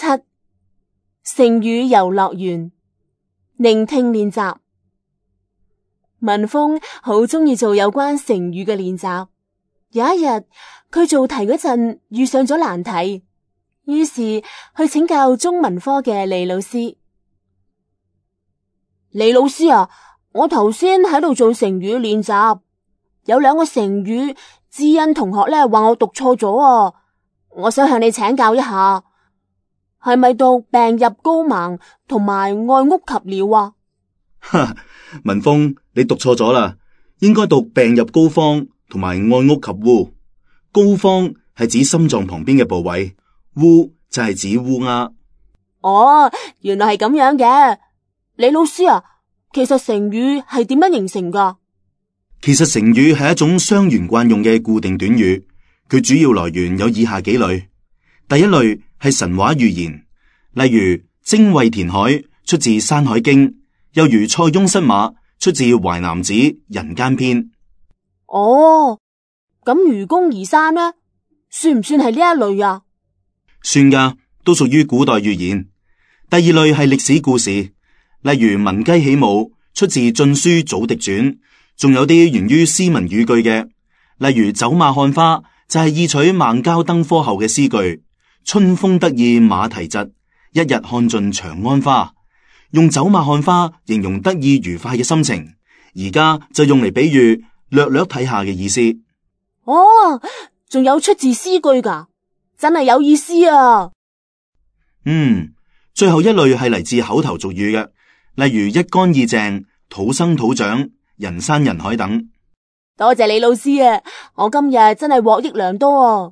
7. 成語遊樂園，聆聽練習。文峰好鍾意做有關成語嘅練習。有一日，佢做題嗰陣遇上咗難題，於是去請教中文科嘅李老師。李老師啊，我頭先喺度做成語練習，有兩個成語，知恩同學咧話我讀錯咗啊，我想向你請教一下，係咪讀病入膏肓同埋愛屋及鳥啊？文峰，你讀錯咗啦，應該讀病入膏肓同埋愛屋及烏。膏肓係指心臟旁邊嘅部位，烏就係指烏鴉。哦，原來係咁樣嘅。李老師啊，其實成語係點樣形成噶？其實成語係一種相沿慣用嘅固定短語，佢主要來源有以下幾類。第一類係神話寓言，例如精衛填海出自《山海經》，又如塞翁失馬出自《淮南子·人間篇》。哦，咁愚公移山呢，算唔算係呢一類啊？算噶，都屬於古代寓言。第二類係歷史故事，例如聞雞起舞出自《晉書·祖狄傳》，仲有啲源於詩文語句嘅，例如走馬看花就係意取孟郊登科後嘅詩句，春風得意馬蹄疾，一日看盡長安花。用走馬看花形容得意愉快嘅心情，而家就用嚟比喻略略睇下嘅意思。哦，仲有出自詩句噶，真係有意思啊！最後一類係嚟自口頭俗語嘅，例如一乾二淨、土生土長、人山人海等。多謝李老師啊，我今日真係獲益良多啊！